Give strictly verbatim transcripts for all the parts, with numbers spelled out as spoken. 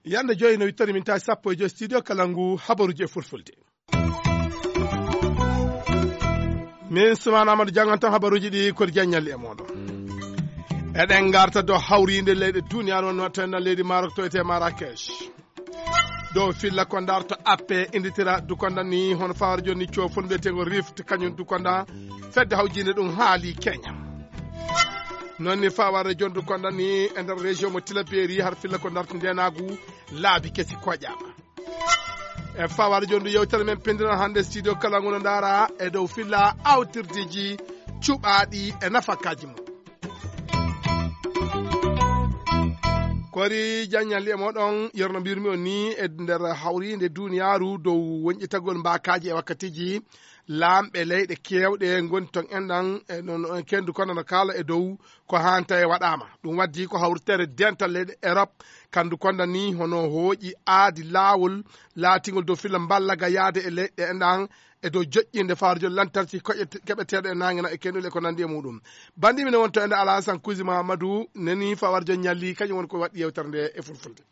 Yande joyi no wittani min tawi sappo e joyi studio kala ngu habaruji e fulfulde. Min Sumana Amadou janngan tan habaruji ɗi kodi janñalli e moɗon. Eɗen garta dow hawrinde leyɗe duniyaaru on watta na leydi Marok to ete Marrakech. Dow filla ko darto appe inditira dukonda ni hono fawar joni cofol mbiyetego Rift kañum dukonda fedde hawjinde ɗum haali Kenya. Noon ni fawar joni dukonda ni e nder région mo Tilaberi har filla ko darto ndenagu laabi kesi koƴama. E fawar joni yewtere men pindiral hannde studio kala ngono ndara e dow filla awtirdeji cuɓaɗi e nafakaji mum. Kori janñalli e moɗon yerno mbirmi on ni e nder hawrinde duniyaaru dow wonƴitagol mbakaji e wakkatiji laamɓe leyɗe kewɗe ngoni ton enɗan e non kendu kono no kala e dow ko hanta e waɗama ɗum waddi ko hawritere dental leyɗe Europe kandu konda ni hono hooƴi aadi laawol laatingol dow filla mballaga yaade e leyɗe enɗan e dow joƴƴinde faarjol lantarki koƴe keɓeteeɗo e naange na e kenɗule e ko nanndi e muɗum. Banndi mine wonto ende Alasan Kusi Mahamadou neni fawarjo ñalli kañum woni ko waɗi yewtere nde e fulfulde.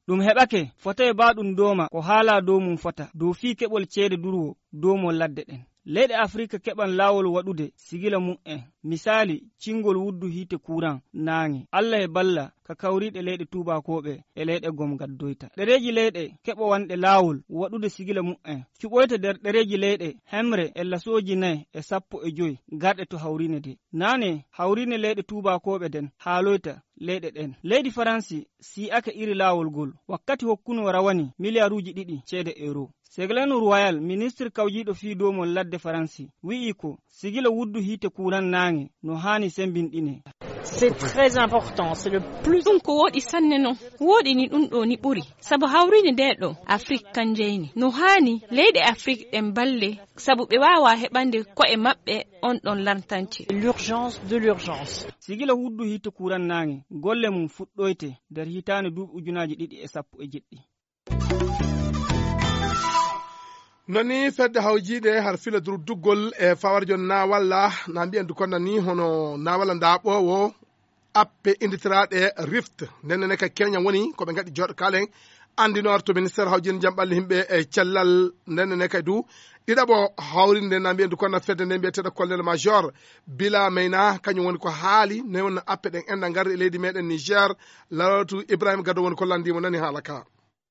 Ɗum heɓake fota e ba ɗum dooma ko haala dow mum fota dow fii keɓol ceede durwo dow mo ladde ɗen. Leyɗe Afirika keɓan laawol waɗude sigila mum en, misaali cingol wuddu hiite kuuran naange. Alla e balla ka kawriiɗe leyɗe tuubaakooɓe e leyɗe gom gaddoyta. Ɗereeji leyɗe keɓowanɗe laawol waɗude sigila mu'en cuɓoyta nder ɗereeji leyɗe hemre e lasooji nay e sappo e joy garɗe to hawriine de. Naane hawriine leyɗe tuubaakooɓe den haaloyta leyɗe ɗen. Leydi Faransi sii'ake iri laawol gol wakkati hokkunoo rawani miliyaruuji ɗiɗi ceede euro. Seglanu Royal, ministre kawjiiɗo fii doomol ladde Faransi, wi'i ko sigila wuddu hiite kuuran naange no haani sembinɗine. C'est très important, c'est le plus. Ɗum ko wooɗi sanne non. Wooɗi ni ɗum ɗo ni ɓuri. Sabu hawriinde nde ɗo Afrik kan jeyni. No haani leyɗe Afrik ɗen balle sabu ɓe waawa heɓande ko'e maɓɓe on ɗon lantance. L'urgence de l'urgence. Sigila wuddu hiite kuuran naange golle mum fuɗɗoyte nder hitaande duuɓi ujunaaji ɗiɗi e sappo e jeɗɗi. Nani fedde hawjiinde har fila durduggol e fawarjo nawalla na mbiyen du konna ni hono nawalla ndaɓowo appe inditiraɗe Rift. Nden ne ka Kenya woni ko ɓe ngaɗi joɗo kalen andinor to ministère hawjiinde jam ɓalli himɓe e cellal. Nden ne kay du ɗiɗaɓo hawrinde na mbiyen du konna fedde nde mbiyeteɗo colonel major bila mayna kañum woni ko haali ne wonno appe ɗen enɗa ngarri e leydi meɗen Niger. Lawatu Ibrahima Gado woni ko lanndimo nani haala ka.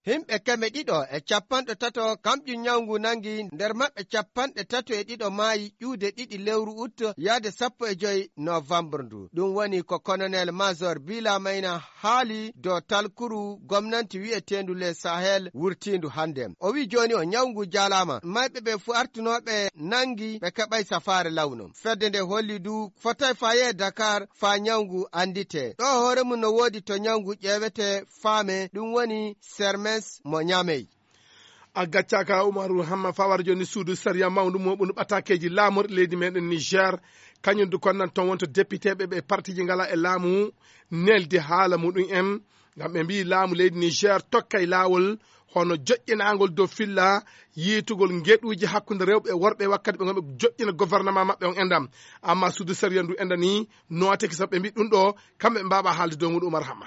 Himɓe keme ɗiɗo e capanɗe tato kamƴum ñawngu nangi, nder maɓɓe capanɗe tato e ɗiɗo maayi ƴuude ɗiɗi lewru ut yaade sappo e joy novembre ndu. Ɗum woni ko colonel major bila mayna haali dow talkuru gomnanti wi'eteendu le Sahel wurtiindu hannde. O wi'i jooni o ñawngu jaalaama, mayɓe ɓe fu artunooɓe nangi ɓe keɓay safaare lawno. Fedde nde holli du fotay fayee Dakar faa ñawngu annditee. Ɗo hoore mum no woodi to ñawngu ƴeewetee faame, ɗum woni Sermes mo Ñaamey. A gaccaka Umaru Hamma fawar joni suudu sariya mawndu mo ɓunu ɓatakeji laamorɗi leydi meɗen Niger. Kañum du konnan ton wonto depiteɓe ɓe partiji ngala e laamu neldi haala muɗum en. Ngam ɓe mbi laamu leydi Niger tokkay laawol hono joƴƴinagol dow filla yiitugol ngeɗuuji hakkunde rewɓe e worɓe wakkati ɓe ngonɓe joƴƴina gouvernement maɓɓe on endam. Amma suudu sariya ndu endani nooteke sabu ɓe mbi ɗum ɗo kamɓe ɓe mbaɓa haalde dow muɗum Umar Hamma.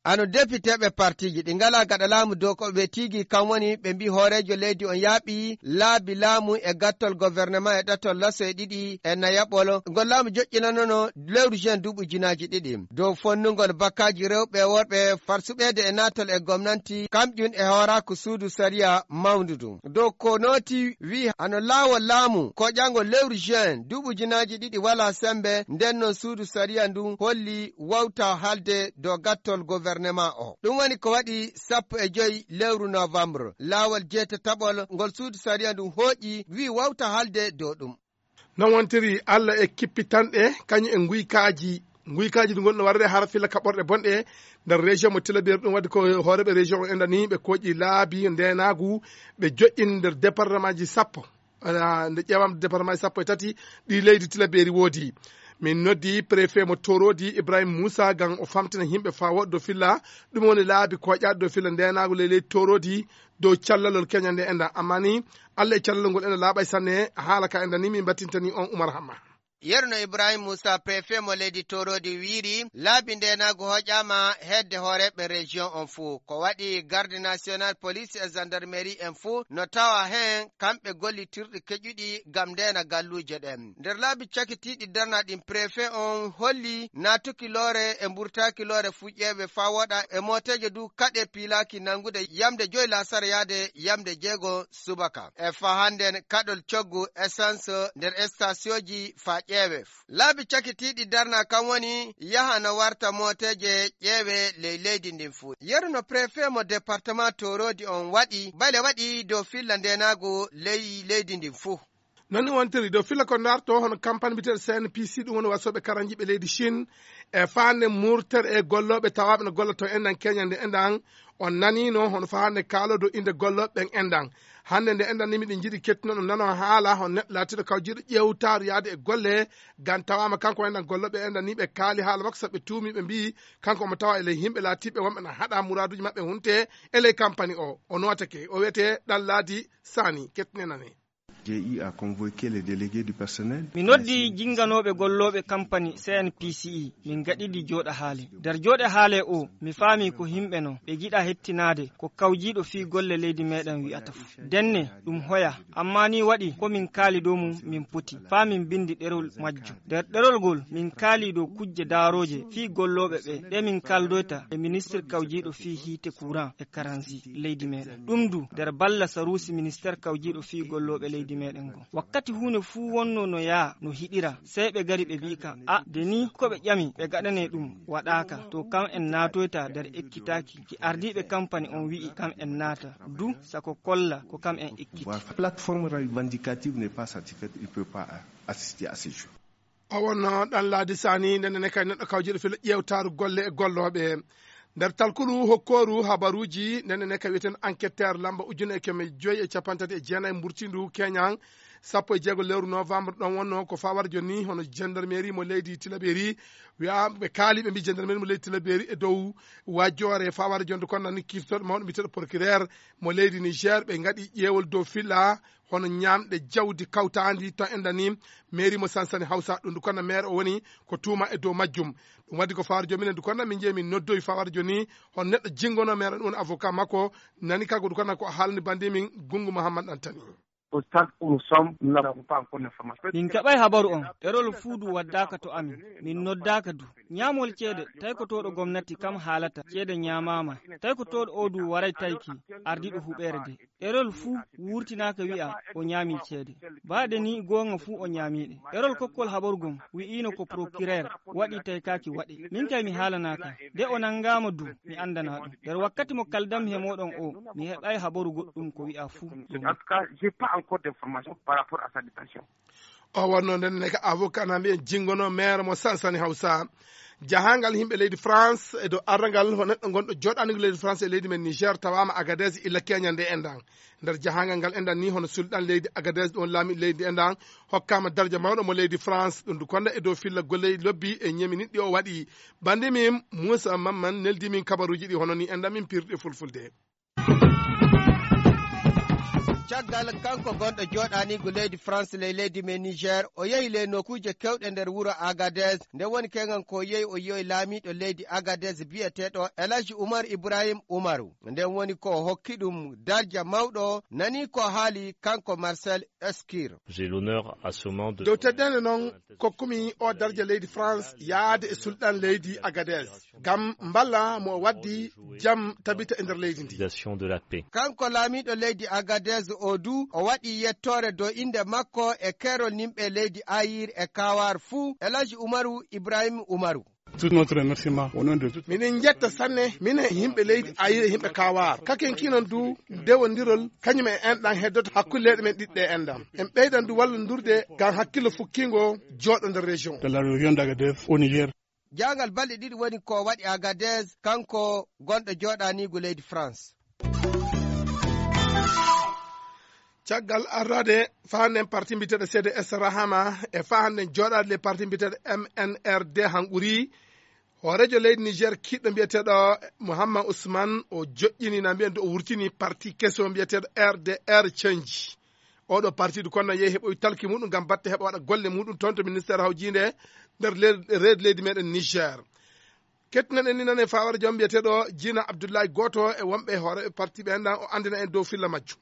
Ano depiteɓe partiji ɗi ngala gaɗa laamu dow ko ɓe tigi kam woni ɓe mbi hoorejo leydi on yaaɓi laabi laamu e gattol gouvernement e ɗatol laso e ɗiɗi e nayaɓol ngol laamu joƴƴinanono lewru juin duuɓi ujunaaji ɗiɗi dow fonnugol bakkaji rewɓe e worɓe farsuɓeede e naatol e gomnanti kamƴun e hooraaku suudu sariya mawndudu dow ko nooti wi hano laawol laamu koƴangol lewru juin duuɓi ujunaaji ɗiɗi wala sembe nden non suudu sariya ndun holli wawta halde dow gattol gouvernement o ɗum woni ko waɗi sappo e joy lewru novembre laawol jeetataɓol ngol suudu sariya ndun hooƴi wi wawta halde dow ɗum. Non wontiri Allah e kippitanɗe kañum e nguykaaji. Nguykaaji ɗi ngonno warde hara filla kaɓorɗe bonɗe nder région mo Tilaberi ɗum wadde ko hooreɓe région o endani ɓe koƴi laabi ndenagu ɓe joƴƴini nder département ji sappo. Nde ƴeewam département ji sappo e tati ɗi leydi Tilaberi woodi. Min noddi préfet mo Torodi, Ibrahim Moussa, ngam o famtina yimɓe faa woɗɗo filla ɗum woni laabi koƴaaɗi dow filla ndeenaagu ley leydi Torodi dow callalol keñal nde enɗan. Amma ni, Allah e callalol ngol enɗan laaɓay sanne. Haala ka enɗan ni min mbattintani on Umar Hamma. Yerno Ibrahim Moussa, préfet mo leydi Torodi, wiiri laabi ndeenaagu hoƴaama hedde hooreeɓe région on fuu. Ko waɗi garde national, police e gendarmerie en fuu no tawa heen kamɓe gollitirɗi keƴuɗi ngam ndeena galluuje ɗen. Nder laabi cakitiiɗi darnaa ɗin, préfet on holli naatuki loore e mburtaaki loore fuu ƴeewe faa woɗa e mooteeje du kaɗe piilaaki nanngude yamde joy laasara yaade yamde jeego subaka. E faa hannden kaɗol coggu essence nder stationji faa ƴeewe. Laabi cakitiiɗi darnaa kan woni yaha no warta mooteeje ƴeewe ley leydi ndin fuu. Yeru no préfet mo département Torodi on waɗi, bale waɗi dow filla ndeenaagu ley leydi ndin fuu. Non ni wontiri dow filla ko ndarto hono campagne mbiyeteeɗo C N P C, ɗum woni wasooɓe karanjiiɓe leydi Chine, e faande murtere e gollooɓe tawaaɓe no golla to enɗan keñal nde enɗan. On naniino hono faande kaaloo dow innde gollooɓe ɓen enɗan. Hannde nde enɗan ni miɗen njiɗi kettinon ɗum nanoo haala hono neɗɗo laatiiɗo kawjiiɗo ƴeewtaaru yaade e golle, ngam tawaama kanko enɗan gollooɓe enɗan ni ɓe kaali haala makko sabu ɓe tuumii ɓe mbiyi kanko omo tawa e ley yimɓe laatiiɓe wonɓe na haɗa muraaduuji maɓɓe hunte e ley kampani o. O nootake, o wiyetee Ɗanlaadi Saani, kettinen nane. J'ai eu à convoquer les délégués du personnel. Mi noddi jinganooɓe gollooɓe kampani C N P C E, min gaɗidi jooɗa haale. Nder jooɗe haale o, mi faami ko yimɓe non, ɓe jiɗa hettinaade ko kawjiiɗo fii golle leydi meɗen wi'ata fof. Denne, ɗum hoya, amma ni waɗi ko min kaali dow mum min poti, faa min bindi ɗerol majjum. Nder ɗerol ngol, min kaali dow kujje daarooje fii gollooɓe ɓe, ɗe min kaldoyta e ministre kawjiiɗo fii hiite courant e karansi leydi meɗen. Ɗum du, nder balla saruusi ministère kawjiiɗo fii gollooɓe leydi meɗen ngon. Wakkati huunde fuu wonno no yaa, no hiɗira, sey ɓe gari ɓe mbi'i ka, a, de ni ko ɓe ƴami, ɓe gaɗanee ɗum, waɗaaka. To kam en naatoyta nder ekkitaaki, ki ardiiɓe kampani on wi'i kam en naata, du sako kolla ko kam en ekkiti. Voilà. Plateforme revendicative n'est pas satisfaite, il peut pas assister à ces jours. O wonno Ɗanlaadi Saani, ndenne ne kay neɗɗo kawjiiɗo filla ƴeewtaaru golle e gollooɓe. Nder talkuru hokkooru habaruuji, ndenne ne kay wiyeten enquêteur lamba ujune e keme joy e capanɗe tati e jeenayi mburtindu keñan, sappo e jeego lewru novembre ɗon wonno ko fawar jonni hono gendarmerie mo leydi Tilaberi. Wi'a ɓe kaali ɓe mbi gendarmerie mo leydi Tilaberi e dow wajjoore fawar jonde kon nani kirtoɗo mawɗo mbiyeteeɗo procureur mo leydi Niger ɓe ngaɗi ƴeewol dow filla hono ñaamɗe jawdi kawtaandi to enɗan ni mairie mo Sansani Hausa, ɗum ndu konna maire o woni ko tuuma e dow majjum. Ɗum waddi ko fawar jominen ndu konna min jeyi min noddoyi fawar joni hon neɗɗo jingono maire ɗum woni avocat makko nani kanko ndu konna ko haalani bandi min Gungu Muhammad Antani. Au stade où nous sommes, nous n'avons pas encore l'information. Min keɓay habaru on, ɗerol fuu du waddaaka to amin. Min noddaaka du. Ñaamol ceede, taykotooɗo gomnati kam haalata, ceede ñaamaama. Taykotooɗo oo du waray tayki, ardiiɗo huɓeere de. Ɗerol fuu wurtinaaka wi'a o ñaamii ceede. Baade ni goonga fuu o ñaamii ɗe. Ɗerol kokkol habaru gom wi'iino ko procureur waɗi taykaaki waɗe. Min kay mi haalanaaka. De o nanngaama du, mi anndanaa ɗum. Nder wakkati mo kaldammi he mooɗon oo, mi heɓaay habaru goɗɗum ko wi'aa fuu. En tout cas, j'ai pas encore d'information par rapport à sa détention. O wonno nden ne ka avocat na mbiyen jingono maire mo Sansani Hausa. Jahangal yimɓe leydi France e dow arrangal ho neɗɗo gonɗo joɗanigo leydi France e leydi men Niger tawama Agadez illa keñal nde enɗan. Nder jahangal ngal enɗan ni hono sulɗan leydi Agadez ɗon laami leydi enɗan hokkama darja mawɗo mo leydi France ɗum du konda e dow filla golle lobbi e ñemi niɗɗi o waɗi. Bandi min Moussa Mamman neldi min kabaruji ɗi hono ni enɗan min pirɗe fulfulde. Caggal kanko gonɗo joɗanigu leydi France ley leydi men Niger, o yehi ley nokuuje kewɗe nder wuro Agadez. Nde woni kegan ko yehi o yehi laamiɗo leydi Agadez biyeteɗo El Hadji Oumar Ibrahim Oumarou. Nden woni ko hokki ɗum darja mawɗo, nani ko haali kanko Marcel Escure. J'ai l'honneur à ce moment de dow teddende noon kokkumi o darja leydi France yaade e sulɗan leydi Agadez. Ngam mballa mo o waddi jam tabita e nder leydi ndi. Organisation de la paix. Kanko laamiɗo leydi Agadez o du, o waɗi yettoore dow innde makko e keerol nimɓe leydi Ayir e Kawar fuu, El Hadji Umaru Ibrahim Umaru. Tout notre remerciement au nom de tout. Miɗen njetta sanne, minen e yimɓe leydi Ayir e yimɓe Kawar. Kaken kinon du, dewondirol, kañum e enɗan heddoto hakkunde leyɗe men ɗiɗɗe enɗan. En ɓeydan du wallondirde ngam hakkillo fukkingo jooɗo nder région. De la région d'Agadez au Niger. Jaangal balɗe ɗiɗi woni ko waɗi Agadez, kanko gonɗo jooɗaniigu leydi France. Caggal arrade faanden parti mbiyeteeɗo C D S Rahama e faanden jooɗaade le parti mbiyeteeɗo M N R D hanquri, hooreejo leydi Niger kiiɗɗo mbiyeteeɗo Mouhammad Ousmane, o joƴƴini na mbiyen o wurtini parti keso mbiyeteeɗo R D R Change. Oɗo parti du kono yehi heɓoy talki muɗum ngam batte heɓa waɗa golle muɗum toon to ministère hawjiinde nder le-, reedu leydi meɗen Niger. Kettinan en ni nane fawara joom mbiyeteeɗo Jina Abdullahi, gooto e wonɓe hooreeɓe parti ɓe enɗan, o anndina en dow filla majjum.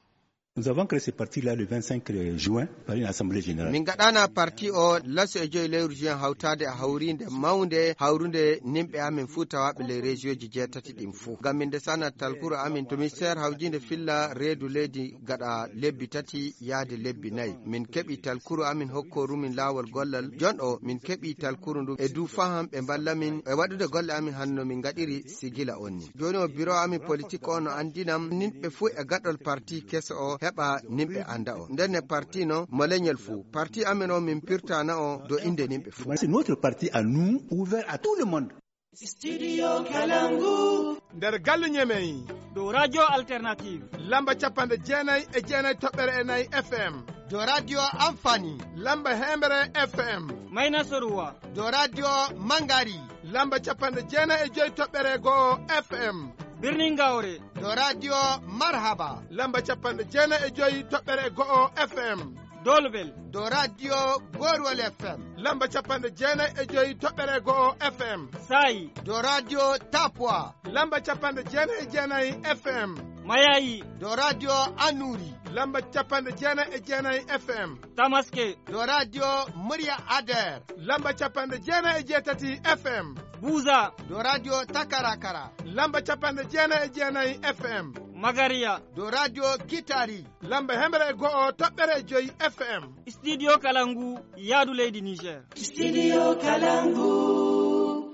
Nous avons créé ce parti-là le vingt-cinq juin par une assemblée générale. Min gaɗana parti o laso e joyi lewru juin hawtaade e hawriinde mawnde hawrude nimɓe amin fuu tawaaɓe ley région ji jeetati ɗin fuu. Ngam min ndesana talkuru amin to ministère hawjiinde filla reedu leydi gaɗa lebbi tati yaade lebbi nayi. Min keɓi talkuru amin hokkoru min laawol gollal. Jon o min keɓi talkuru ndu e du faham ɓe mballa min e waɗude golle amin hanno min ngaɗiri sigila on ni. Jooni o biro amin politique o no anndinam nimɓe fuu e gaɗol parti keso o heɓa nimɓe annda o. Ndenne parti no mo leñol fuu. Parti amin o min pirtana o do innde nimɓe fuu. C'est notre parti à nous, ouvert à tout le monde. Studio Kalangu. Nder galle Ñemey. Dow Radio Alternative. Lamba capanɗe jeenayi e jeenayi toɓɓere e nayi F M. Dow Radio Amfani. Lamba heembere F M. Mayna Soruwa. Dow Radio Mangari. Lamba capanɗe jeenayi e joyi toɓɓere go'o F M. Birnin Gawre. Dow Radio Marhaba. Lamba capanɗe jeenayi e joyi toɓɓere go'o F M. Dolbel. Dow Radio Gorwal F M. Lamba capanɗe jeenayi e joyi toɓɓere go'o F M. Sayi. Dow Radio Tapwa. Lamba capanɗe jeenayi e jeenayi F M. Mayayi. Dow Radio Anuri. Lamba capanɗe jeenayi e jeenayi F M. Tamaske. Dow Radio Murya Ader. Lamba capanɗe jeenayi e jeetati F M. Buza. Dow Radio Takarakara. Lamba capanɗe jeenayi e jeenayi F M. Magariya. Dow Radio Kitari. Lamba hemre e go'o toɓɓere e joyi F M. Studio Kalangu, yaadu leydi Niger. Studio Kalangu.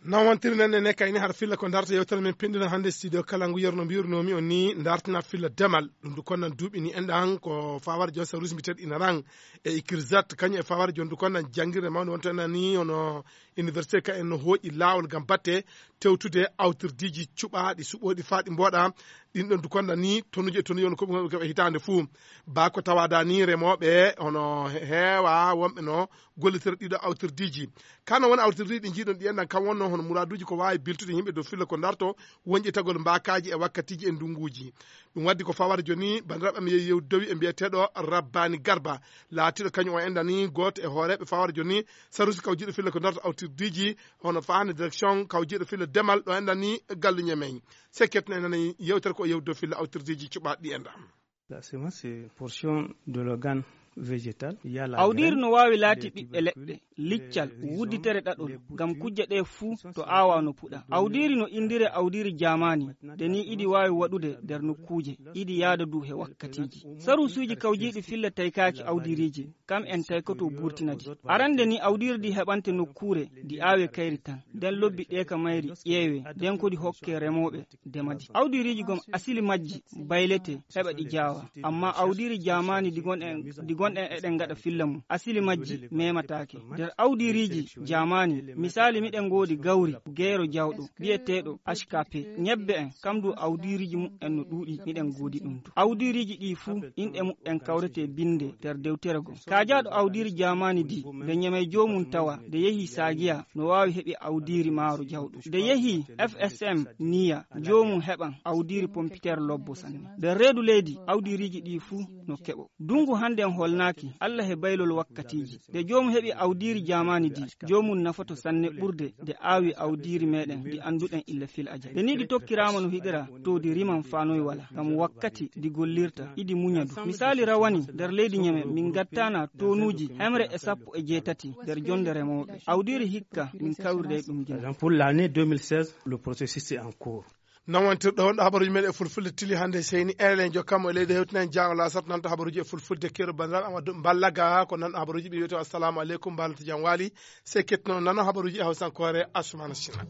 Nawantiri nan ne kayni har filla ko darta yewtere men pinndina hannde studio Kalangu yerno mbirnomi on ni dartina filla demal. Ɗum du konnan duuɓi ni enɗan ko fawar jon sarus mbiyeteeɗo ina ran e ikirzat kañum e fawar jon du konnan janngirde mawde wonto enɗan ni hono université ka en no hooƴi laawol ngam batte tewtude awtirdiiji cuɓaaɗi suɓooɗi faa ɗi mbooɗa. Ɗin ɗon du konnan ni tonuji e tonuji on ko ɓe keɓa hitaande fuu. Baa ko tawaada ni remooɓe hono heewa wonɓe no gollitira ɗiɗo awtirdiiji. Kano woni awtirdiiji ɗi njiiɗon ɗi enɗan kam wonno hono muraaduuji ko waawi biltude yimɓe dow filla ko darto wonƴitagol mbaakaaji e wakkatiiji e ndunnguuji. Ɗum waddi ko fawara joni banndiraaɓe am yehi yewdowi e mbiyeteeɗo Rabbani Garba, laatiiɗo kañum o enɗan ni gooto e hooreeɓe fawara joni sarusi kawjiiɗo filla ko darto awtirdiiji hono faande direction kawjiiɗo filla demal ɗo enɗan ni galluñe men. Sekketno enɗan yewtere ko yewdo filla awtirdiiji cuɓaaɗi ɗi enɗan. La semence, c'est portion de l'organe végétal. Il y a la Awdiiri graine, no waawi laati les ɓiɓɓe leɗɗe, tubercules, liccal, les rhizomes, wudditere ɗaɗol, les ngam boutures. Kujje ɗe fuu to aawa no puɗa. Awdiiri no inndire awdiiri jaamaani, de ni iɗi waawi waɗude nder nokkuuje, iɗi yaada du he wakkatiiji. Sarusuuji kawjiiɗi filla taykaaki awdiiriiji, kam en taykoto buurtinadi. Arande ni awdiiri ndi heɓante nokkuure, ndi aawe kayri tan. Nden lobbi ɗe ka mayri ƴeewe, nden ko ɗi hokke remooɓe. Demadi. Awdiiriiji gom asili majji baylete heɓa ɗi jaawa. Amma awdiiri jaamaani ɗi gonɗen, ɗi gonɗen eɗen ngaɗa filla mum, asili majji memataake. Nder awdiiriiji jaamaani, misaali miɗen ngoodi gawri, geero jawɗo, biyeteeɗo H K P. Ñebbe en, kam du awdiiriiji mu'en no ɗuuɗi, miɗen ngoodi ɗum du. Awdiiriiji ɗi fuu, inɗe mu'en kawrete binde nder dewtere gom. Kaajaaɗo awdiiri jaamaani di, nde ñemey joomum tawa, nde yehi Saagiya, no waawi heɓi awdiiri maaro jawɗo. Nde yehi F S M niya, joomum heɓan awdiiri pompiteer lobbo sanne. Nder reedu leydi, awdiiriiji ɗi fuu no keɓo. Dungu hannde en holnaaki, Alla he baylol wakkatiiji. Nde joomum heɓi awdiiri jaamaani di, joomum nafoto sanne ɓurde nde aawi awdiiri meɗen ndi annduɗen illa fil ajal. Nde ni ɗi tokkiraama no hiɗira, to ɗi riman faanoy wala. Ngam wakkati ɗi gollirta, iɗi muña du. Misaali rawani, nder leydi Ñeme, min ngattaana tonuuji hemre e sappo e jeetati nder jonde remooɓe. Awdiiri hikka, min kawriday ɗum gila. Par exemple, pour l'année deux mille seize, le processus est en cours. Nawantirɗo on ɗo habaruji meɗen e fulfulde tili hannde seyni enen jokkamo e leydi hewtinen jaango lasat nanta habaruji e fulfulde keɗo banndiraaɓe Amadou Ballaga ko nanɗo habaruji ɓe wiyete assalamu aleykum mbalata jam waali. Sey kettono nano habaruji e hawsankoore Asumana Sina.